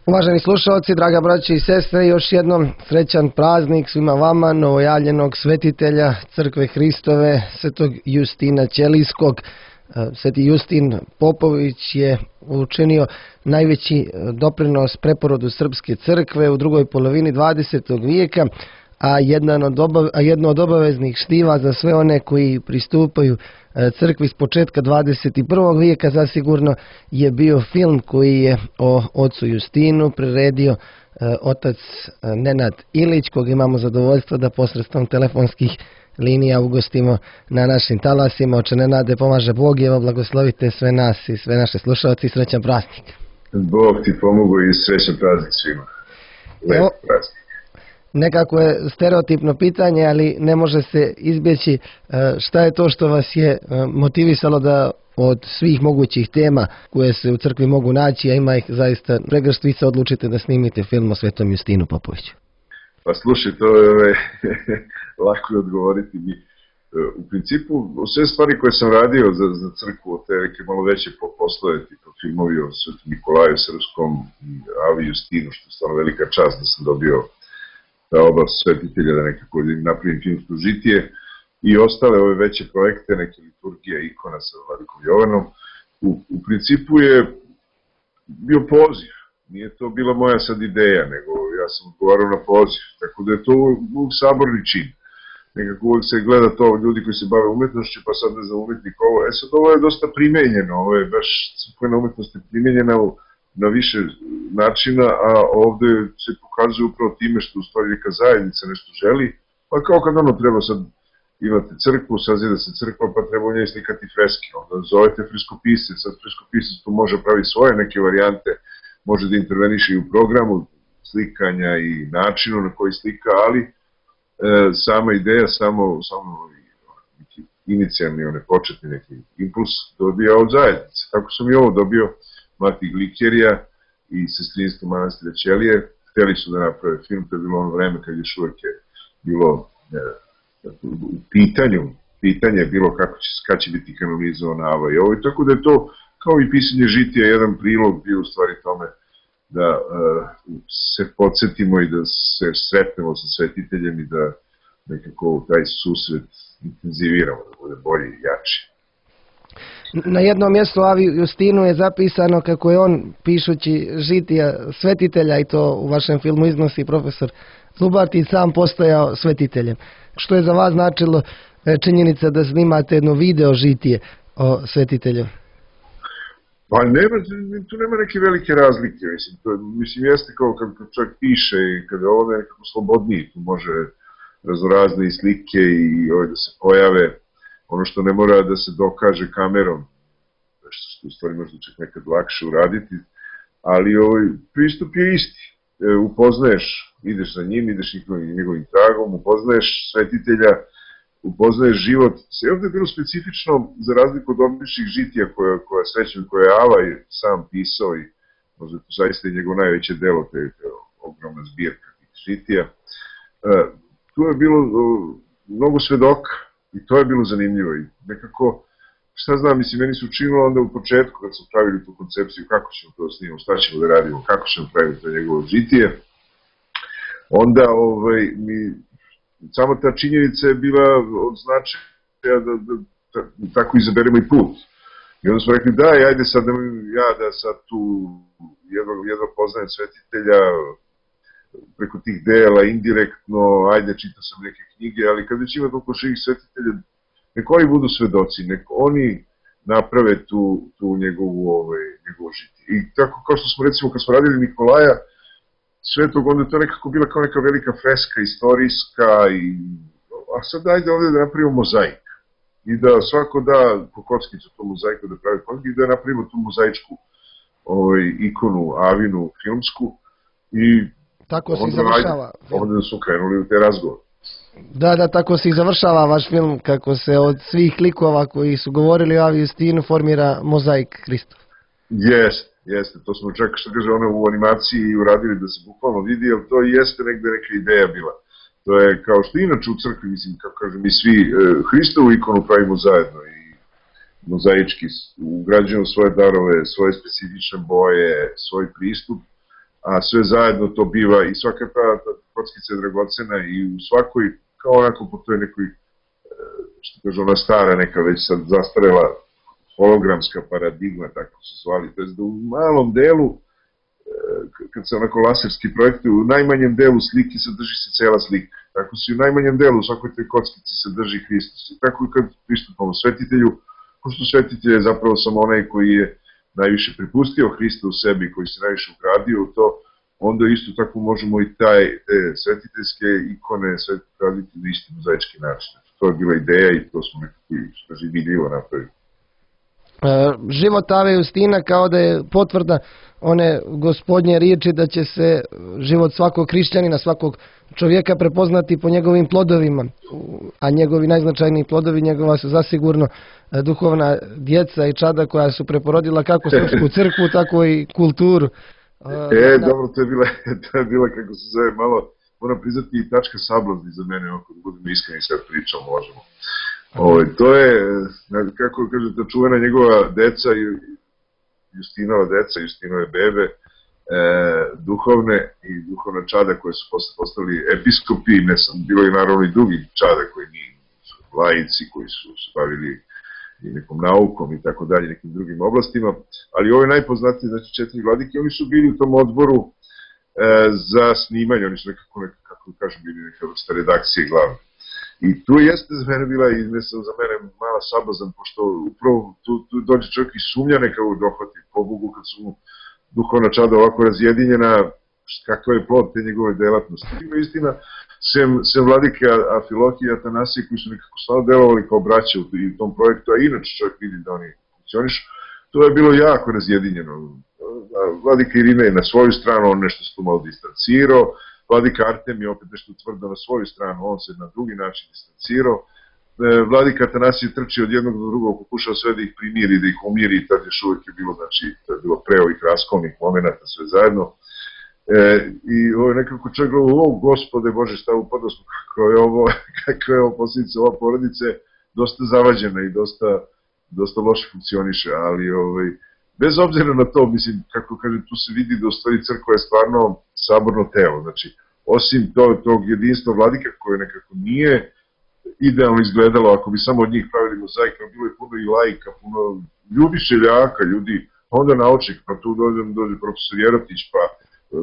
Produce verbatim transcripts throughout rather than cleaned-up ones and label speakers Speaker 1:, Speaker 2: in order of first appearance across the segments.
Speaker 1: Uvaženi slušalci, draga braće i sestre, još jednom srećan praznik svima vama, novojavljenog svetitelja Crkve Hristove, svetog Justina Ćelijskog. Sveti Justin Popović je učinio najveći doprinos preporodu Srpske crkve u drugoj polovini dvadesetog vijeka, a jedno od obaveznih štiva za sve one koji pristupaju crkvi s početka dvadeset prvog vijeka zasigurno je bio film koji je o ocu Justinu priredio otac Nenad Ilić, kog imamo zadovoljstvo da posredstvom telefonskih linija ugostimo na našim talasima. Oče Nenade, pomaže Bog i evo blagoslovite sve nas i sve naše slušalci i srećan praznik.
Speaker 2: Bog ti pomogu i srećan praznik svima. Lep praznik.
Speaker 1: Nekako je stereotipno pitanje, ali ne može se izbjeći. Šta je to što vas je motivisalo da od svih mogućih tema koje se u crkvi mogu naći, a ima ih zaista pregrštvica, odlučite da snimite film o svetom Justinu Popoviću?
Speaker 2: Pa slušaj, to je lako je odgovoriti mi. U principu, sve stvari koje sam radio za, za crkvu, te neke malo veće poslove, tipa filmovi o svetom Nikolaju Srpskom i Avi Justinu, što je stvarno velika čast da sam dobio ta oba svetitelja, da nekako napravim filmsko žitije, i ostale ove veće projekte, neke liturgije, ikona sa Vladikom Jovanom. U, u principu je bio poziv. Nije to bila moja sad ideja, nego ja sam odgovarao na poziv. Tako da je to uvijek saborni čin. Nekako uvijek se gleda to ljudi koji se bave umetnošću, pa sad ne znam umetnik ovo. E sad ovo je dosta primenjeno, ovo je baš crkvena umetnost je primenjena u na više načina, a ovde se pokazuje upravo time što u stvari neka zajednica nešto želi, pa kao kad ono treba sad imate crkvu, sazida se crkva, pa treba u njej slikati freske, onda zovete freskopisce, sad freskopisac tu može pravi svoje neke varijante, može da interveniše i u programu slikanja i načinu na koji slika, ali e, sama ideja, samo, samo neki inicijalni, one početni neki impuls dobija od zajednice. Tako sam i ovo dobio, Mati Glikerija i sestrinstvo manastira Ćelije. Hteli su da naprave film, to je bilo ono vreme kad još uvek je bilo ne, u pitanju, pitanje je bilo kako će, kad će biti kanonizovana Ava i ovo. Tako da je to, kao i pisanje žitija, jedan prilog bio u stvari tome da uh, se podsjetimo i da se sretnemo sa svetiteljem i da nekako taj susret intenziviramo, da bude bolji i jači.
Speaker 1: Na jednom mjestu Avi Justinu je zapisano kako je on, pišući žitija svetitelja, i to u vašem filmu iznosi profesor Zubartin, sam postajao svetiteljem. Što je za vas značilo činjenica da snimate jedno video žitije o svetitelju?
Speaker 2: Pa nema, tu nema neke velike razlike. Mislim, to, mislim jeste kao kad čovjek piše i kada ovo je nekako slobodniji, tu može raznorazne i slike i ove da se pojave. Ono što ne mora da se dokaže kamerom, što u stvari možda čak nekad lakše uraditi, ali ovaj pristup je isti. E, upoznaješ, ideš za njim, ideš njegovim tragom, upoznaješ svetitelja, upoznaješ život. Sve ovdje je bilo specifično, za razliku od običnih žitija koja, koja srećem, koje je Ava sam pisao i možda to zaista je njegov najveće delo, te, te ogromna zbirka tih žitija. E, tu je bilo o, mnogo svedoka. I to je bilo zanimljivo i nekako, šta znam, mislim, meni se učinilo onda u početku kad smo pravili tu koncepciju kako ćemo to snimamo, šta ćemo da radimo, kako ćemo praviti to njegovo žitije, onda ovaj, mi, samo ta činjenica je bila od značaja da, da, da tako izaberemo i put. I onda smo rekli, daj, ajde sad ja da sad tu jedno, jedno poznajem svetitelja, preko tih dela, indirektno, ajde, čitao sam neke knjige, ali kad već ima toliko širih svetitelja, nek oni budu svedoci, nek oni naprave tu, tu njegovu, ovaj, njegovu žitije. I tako kao što smo recimo, kad smo radili Nikolaja Svetog, onda je to nekako bila kao neka velika freska, istorijska, i, a sad ajde ovdje da napravimo mozaik. I da svako da po kockicu tu mozaiku da pravi kockicu i da napravimo tu mozaičku ovaj, ikonu, Avinu, filmsku, i
Speaker 1: tako se završava.
Speaker 2: Ovdje su krenuli u te razgovor.
Speaker 1: Da, da, tako se i završava vaš film, kako se od svih likova koji su govorili o Avi Justinu formira mozaik Hristov.
Speaker 2: Jeste, jeste. To smo čak, što kaže, ono u animaciji uradili da se bukvalno vidi, jer to jeste negde neka ideja bila. To je kao što inače u crkvi, mislim, kako kažem, mi svi e, Hristovu ikonu pravimo zajedno i mozaički ugrađujemo svoje darove, svoje specifične boje, svoj pristup. a sve zajedno to biva i svaka ta, ta kockica je dragocena i u svakoj, kao onako po toj nekoj, što kaže ona stara neka već sad zastarela hologramska paradigma, tako se zvali, to je da u malom delu, kad se onako laserski projektuju, u najmanjem delu slike sadrži se cela slika. Tako se u najmanjem delu u svakoj toj kockici sadrži Hristos. I tako i kad pristupamo svetitelju, pošto svetitelj je zapravo samo onaj koji je najviše pripustio Hrista u sebi, koji se najviše ugradio u to, onda isto tako možemo i taj, te svetiteljske ikone raditi na isti mozaički način. To je bila ideja i to smo nekako i vidljivo napravili.
Speaker 1: Život Ave Justina kao da je potvrda one gospodnje riječi da će se život svakog hrišćanina, svakog čovjeka prepoznati po njegovim plodovima, a njegovi najznačajniji plodovi njegova su zasigurno duhovna djeca i čada koja su preporodila kako srpsku crkvu, tako i kulturu.
Speaker 2: E, dobro, to je bila, to je bila kako se zove, malo, moram priznati i tačka sablazni za mene, ako da budemo iskreni sad pričam, možemo. Ovo, to je, kako kažete, čuvena njegova deca, Justinova deca, Justinove bebe, e, duhovne i duhovna čada koje su posle postali episkopi, ne sam, bilo je naravno i drugi čada koji nisu laici, koji su se bavili i nekom naukom i tako dalje, nekim drugim oblastima, ali ovo je najpoznatiji, znači četiri vladike, oni su bili u tom odboru e, za snimanje, oni su nekako, nekako kako kažem, bili neka vrsta redakcije glavne. I tu jeste za mene bila, i ne sam za mene mala sabazan, pošto upravo tu, tu dođe čovjek i sumnja nekako dohvati po Bogu kad su mu duhovna čada ovako razjedinjena, kakav je plod te njegove delatnosti. Ima istina, sem, sem vladike Afilohije i Atanasije koji su nekako stvarno delovali kao braća u tom projektu, a inače čovjek vidi da oni funkcioniš, to je bilo jako razjedinjeno. Vladika Irina je na svoju stranu, on nešto se tu malo distancirao, vladika Artem je opet nešto tvrdo na svoju stranu, on se na drugi način distancirao. Vladika Atanasije trči od jednog do drugog, pokušao sve da ih primiri, da ih umiri, i tad još uvijek je bilo, znači, to je bilo pre ovih raskolnih momenta, sve zajedno. E, I ovo je nekako čovjek gleda, o gospode Bože, šta upadao smo, kako je ovo, kako je ovo posljedica, ova porodica je dosta zavađena i dosta, dosta loše funkcioniše, ali ovaj, bez obzira na to, mislim, kako kaže, tu se vidi da u stvari crkva je stvarno saborno telo, znači, osim to, tog jedinstva vladika koje nekako nije idealno izgledalo, ako bi samo od njih pravili mozaik, bilo je puno i laika, puno ljudi šeljaka, ljudi, onda naučnik, pa tu dođe, dođe profesor Jerotić, pa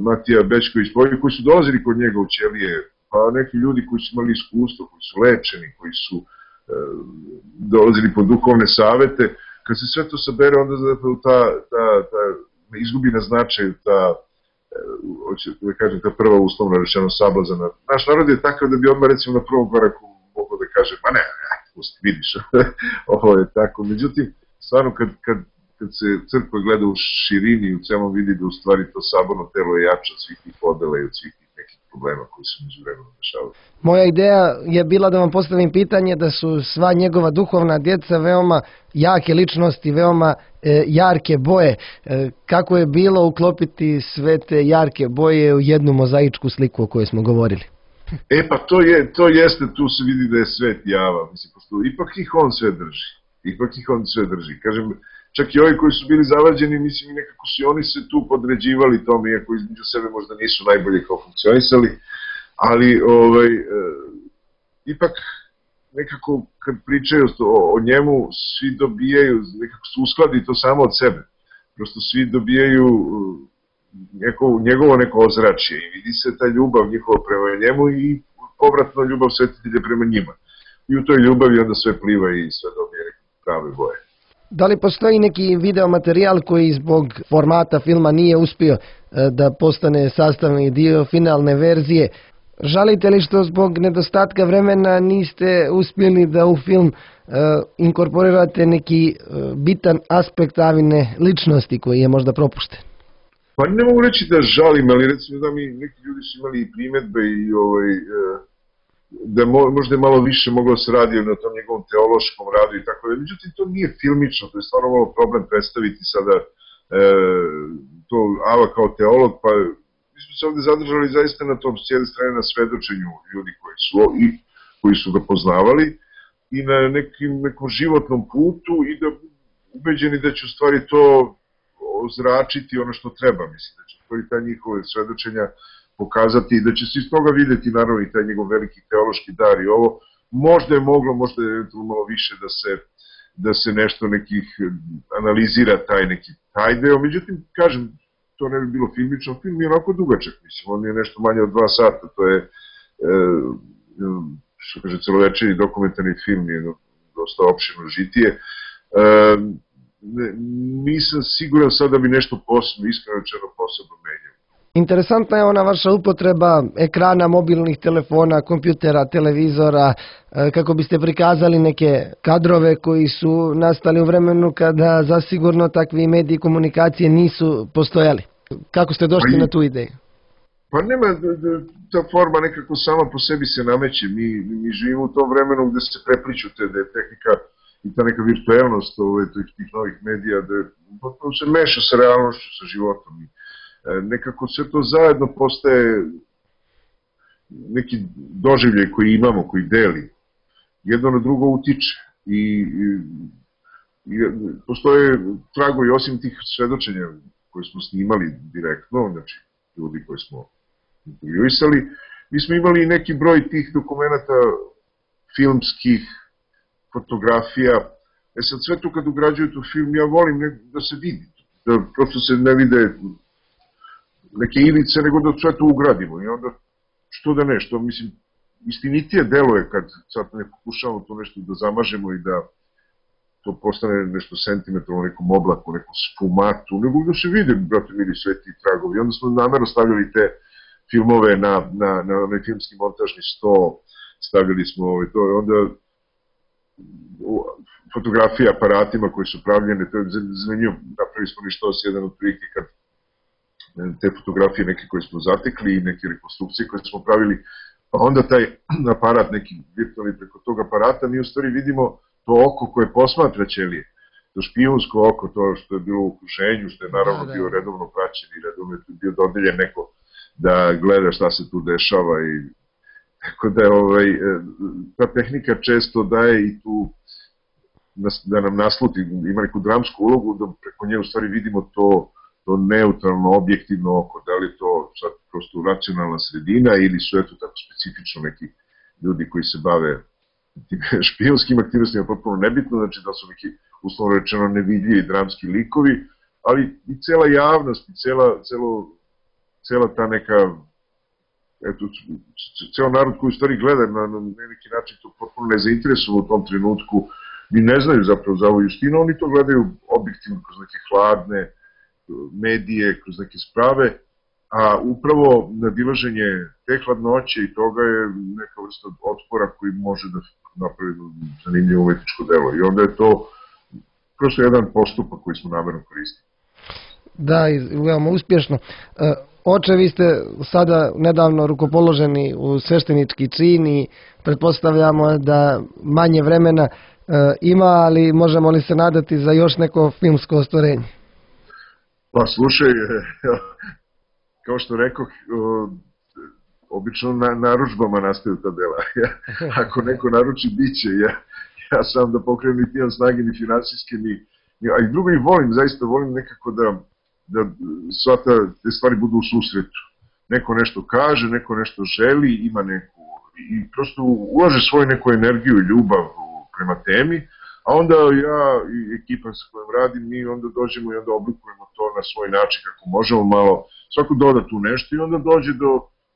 Speaker 2: Matija Bečković, koji su dolazili kod njega u ćelije, pa neki ljudi koji su imali iskustvo, koji su lečeni, koji su e, dolazili po duhovne savete. Kad se sve to sabere, onda zapravo ta, ta, ta izgubi na značaju, ta, hoće da kažem, ta prva uslovna rečeno sablazana. Naš narod je takav da bi odmah recimo na prvom koraku mogao da kaže, pa ne, ne, pusti, vidiš, ovo je tako. Međutim, stvarno kad, kad, kad se crkva gleda u širini i u celom vidi da u stvari to saborno telo je jače od svih tih podela i od svih tih nekih problema koji su među vremenom dešavali.
Speaker 1: Moja ideja je bila da vam postavim pitanje da su sva njegova duhovna djeca veoma jake ličnosti, veoma e, jarke boje. E, kako je bilo uklopiti sve te jarke boje u jednu mozaičku sliku o kojoj smo govorili?
Speaker 2: E pa to, je, to jeste, tu se vidi da je svet java, mislim, pošto ipak ih on sve drži, ipak ih on sve drži. Kažem, čak i ovi koji su bili zavađeni, mislim, nekako su i oni se tu podređivali tome, iako između sebe možda nisu najbolje kao funkcionisali, ali ovaj, e, ipak nekako kad pričaju o, o njemu, svi dobijaju, nekako se uskladi to samo od sebe. Prosto svi dobijaju neko, njegovo neko ozračje i vidi se ta ljubav njihova prema njemu i povratno ljubav svetitelja prema njima. I u toj ljubavi onda sve pliva i sve dobije neke prave boje.
Speaker 1: Da li postoji neki video materijal koji zbog formata filma nije uspio da postane sastavni dio finalne verzije? Žalite li što zbog nedostatka vremena niste uspjeli da u film uh, inkorporirate neki uh, bitan aspekt Avine ličnosti koji je možda propušten?
Speaker 2: Pa ne mogu reći da žalim, ali recimo da mi neki ljudi su imali i primjedbe i ovaj, uh, da mo, možda je malo više moglo se raditi na tom njegovom teološkom radu i tako da. Međutim, to nije filmično, to je stvarno malo problem predstaviti sada uh, to Ava kao teolog, pa mi smo se ovdje zadržali zaista na tom, s jedne strane na svedočenju ljudi koji su, i, koji su ga poznavali i na nekim, nekom životnom putu i da ubeđeni da će u stvari to ozračiti ono što treba, mislim, da će to i ta njihove svedočenja pokazati i da će se iz toga videti naravno i taj njegov veliki teološki dar i ovo. Možda je moglo, možda je malo više da se, da se nešto nekih analizira taj neki taj deo, međutim, kažem, to ne bi bilo filmično, film je onako dugačak, mislim, on je nešto manje od dva sata, to je, e, što kaže, celovečerni dokumentarni film, je dosta opširno žitije. E, nisam siguran sad da bi nešto posebno, iskreno rečeno posebno menjao.
Speaker 1: Interesantna je ona vaša upotreba ekrana, mobilnih telefona, kompjutera, televizora, kako biste prikazali neke kadrove koji su nastali u vremenu kada zasigurno takvi mediji komunikacije nisu postojali. Kako ste došli
Speaker 2: pa i,
Speaker 1: na tu ideju?
Speaker 2: Pa nema, ta forma nekako sama po sebi se nameće. Mi, mi živimo u tom vremenu gde se prepliču te, da je tehnika i ta neka virtuelnost ove, tih novih medija, da je, se meša sa realnošću, sa životom. Nekako sve to zajedno postaje neki doživljaj koji imamo, koji deli. Jedno na drugo utiče. I, i, i postoje tragovi, osim tih svedočenja koje smo snimali direktno, znači ljudi koje smo intervjuisali, mi smo imali neki broj tih dokumenta filmskih, fotografija. E sad sve to kad ugrađuju tu film, ja volim ne, da se vidi, da prosto se ne vide neke ivice, nego da sve to ugradimo. I onda, što da ne, što mislim, istinitije deluje kad sad ne pokušamo to nešto da zamažemo i da to postane nešto sentimentalno, nekom oblaku, nekom spumatu, nego da se vide, brate, vidi sve ti tragovi. I onda smo namerno stavljali te filmove na, na, na onaj filmski montažni sto, stavljali smo ovaj, to, onda fotografije aparatima koji su pravljene, to je zanimljivo, napravili smo ništa os jedan od prilike kad te fotografije neke koje smo zatekli i neke rekonstrukcije koje smo pravili, pa onda taj aparat, neki virtualni preko tog aparata, mi u stvari vidimo to oko koje posmatra ćelije, to špijunsko oko, to što je bilo u okruženju, što je naravno bio redovno praćen i redovno je bio dodeljen neko da gleda šta se tu dešava i tako da je ovaj, ta tehnika često daje i tu da nam nasluti, ima neku dramsku ulogu, da preko nje u stvari vidimo to to neutralno, objektivno oko, da li to sad prosto racionalna sredina ili su eto tako specifično neki ljudi koji se bave tim špijonskim aktivnostima, potpuno nebitno, znači da su neki uslovno rečeno nevidljivi dramski likovi, ali i cela javnost, i cela, celo, cela ta neka, eto, ceo narod koji u stvari gleda na, na neki način to potpuno nezainteresovan u tom trenutku, ni ne znaju zapravo za ovu Justinu, oni to gledaju objektivno kroz neke hladne medije, kroz neke sprave, a upravo nadilaženje te hladnoće i toga je neka vrsta otpora koji može da napravi zanimljivo umetničko delo. I onda je to prosto jedan postupak koji smo namerno koristili.
Speaker 1: Da, veoma uspješno. Oče, vi ste sada nedavno rukopoloženi u sveštenički čin i pretpostavljamo da manje vremena ima, ali možemo li se nadati za još neko filmsko ostvarenje?
Speaker 2: Pa slušaj, kao što rekao, obično na naručbama nastaju ta dela. Ako neko naruči, bit će. Ja, ja sam da pokrenem niti imam snage, ni finansijske, ni... A i drugo i volim, zaista volim nekako da, da sva ta, te stvari budu u susretu. Neko nešto kaže, neko nešto želi, ima neku... I prosto ulaže svoju neku energiju i ljubav prema temi, a onda ja i ekipa sa kojom radim, mi onda dođemo i onda oblikujemo to na svoj način kako možemo malo, svako doda tu nešto i onda dođe do,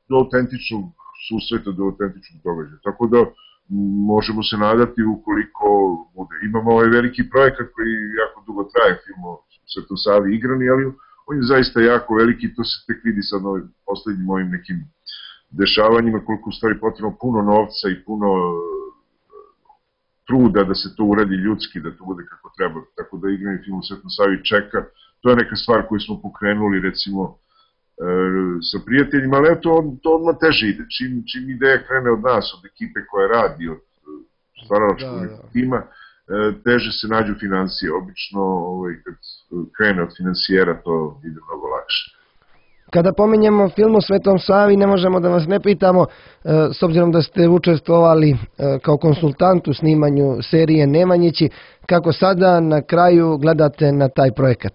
Speaker 2: do autentičnog susreta, do autentičnog događaja. Tako da možemo se nadati ukoliko bude. Imamo ovaj veliki projekat koji jako dugo traje, film o Svetom Savi igrani, ali on je zaista jako veliki, to se tek vidi sad na poslednjim mojim nekim dešavanjima, koliko u stvari potrebno puno novca i puno truda da se to uradi ljudski, da to bude kako treba, tako da igrani film u Svetom Savi čeka. To je neka stvar koju smo pokrenuli, recimo, e, sa prijateljima, ali to, to odmah teže ide. Čim, čim ideja krene od nas, od ekipe koja radi, od stvaralačkog da, da. tima, e, teže se nađu financije. Obično, ovaj, kad krene od finansijera, to ide mnogo lakše.
Speaker 1: Kada pominjemo film o Svetom Savi, ne možemo da vas ne pitamo, s obzirom da ste učestvovali kao konsultant u snimanju serije Nemanjići, kako sada na kraju gledate na taj projekat?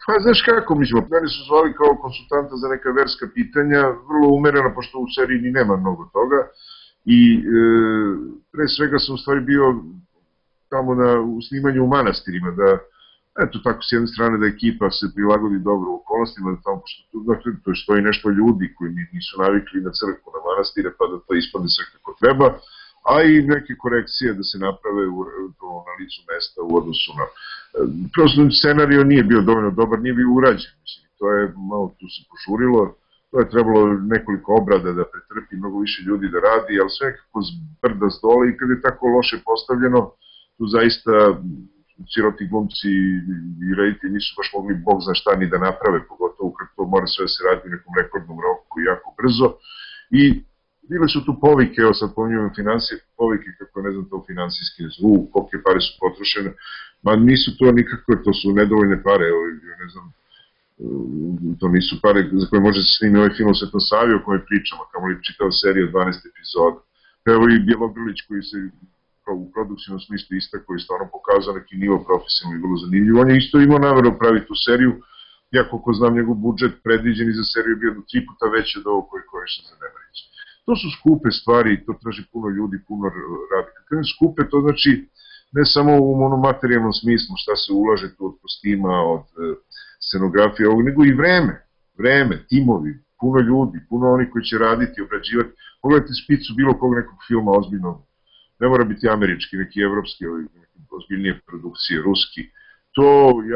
Speaker 2: Pa znaš kako, mislim, mene su zvali kao konsultanta za neka verska pitanja, vrlo umereno, pošto u seriji ni nema mnogo toga, i e, pre svega sam u stvari bio tamo na, u snimanju u manastirima, da, eto tako, s jedne strane da ekipa se prilagodi dobro u okolnostima, da tamo, pošto tu, dakle, to stoji nešto ljudi koji nisu navikli na crkvu, na manastire, pa da to ispadne sve kako treba, a i neke korekcije da se naprave u, na licu mesta u odnosu na... Prosto scenario nije bio dovoljno dobar, nije bio urađen, mislim, to je malo tu se požurilo, to je trebalo nekoliko obrada da pretrpi, mnogo više ljudi da radi, ali sve nekako zbrda s dole i kad je tako loše postavljeno, tu zaista siroti glumci i reditelji nisu baš mogli bog zna šta ni da naprave, pogotovo kad to mora sve da se radi u nekom rekordnom roku i jako brzo. I bile su tu povike, evo sad pominjamo finansije, povike kako ne znam to finansijski zvuk, kolike pare su potrošene, ma nisu to nikakve, to su nedovoljne pare, evo, ne znam, to nisu pare za koje može se snimi ovaj film o Svetom Savi o kojoj pričamo, kamo li čitao seriju od dvanaest epizoda. Evo i Bjelogrlić koji se u produkcijnom smislu istako i stvarno pokazao neki nivo profesionalno i bilo zanimljivo. On je isto imao nameru pravi tu seriju, ja koliko znam njegov budžet predviđen i za seriju je bio do tri puta veći od ovog koji je korišten za Nemarić. To su skupe stvari, to traži puno ljudi, puno radi. Kad kažem skupe, to znači ne samo u monomaterijalnom smislu šta se ulaže tu od kostima, od scenografije, nego i vreme, vreme, timovi, puno ljudi, puno oni koji će raditi, obrađivati. Pogledajte spicu bilo kog nekog filma ozbiljnog, ne mora biti američki, neki evropski, ozbiljnije produkcije, ruski. To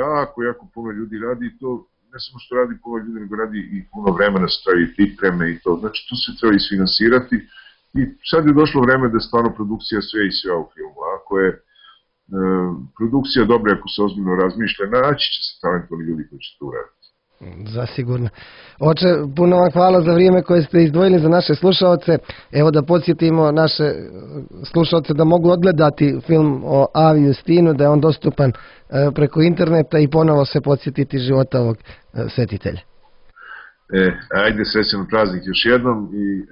Speaker 2: jako, jako puno ljudi radi i to ne samo što radi puno ljudi, nego radi i puno vremena se travi pripreme i to. Znači, to se treba isfinansirati i sad je došlo vreme da je stvarno produkcija sve i sve u filmu. Ako je e, produkcija dobra, ako se ozbiljno razmišlja, naći će se talentovni ljudi koji će to uraditi.
Speaker 1: Zasigurno. Oče, puno vam hvala za vrijeme koje ste izdvojili za naše slušalce. Evo da podsjetimo naše slušalce da mogu odgledati film o Avi Justinu, da je on dostupan preko interneta i ponovo se podsjetiti života ovog svetitelja.
Speaker 2: E, ajde, srećan praznik još jednom i e,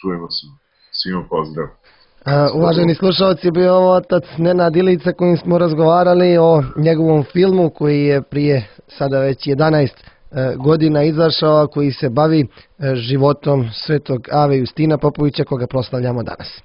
Speaker 2: čujemo se. Svima pozdrav.
Speaker 1: A, uvaženi slušalci, bio ovo otac Nenad Ilica kojim smo razgovarali o njegovom filmu koji je prije sada već jedanaest godina izašao, koji se bavi životom svetog Ave Justina Popovića koga proslavljamo danas.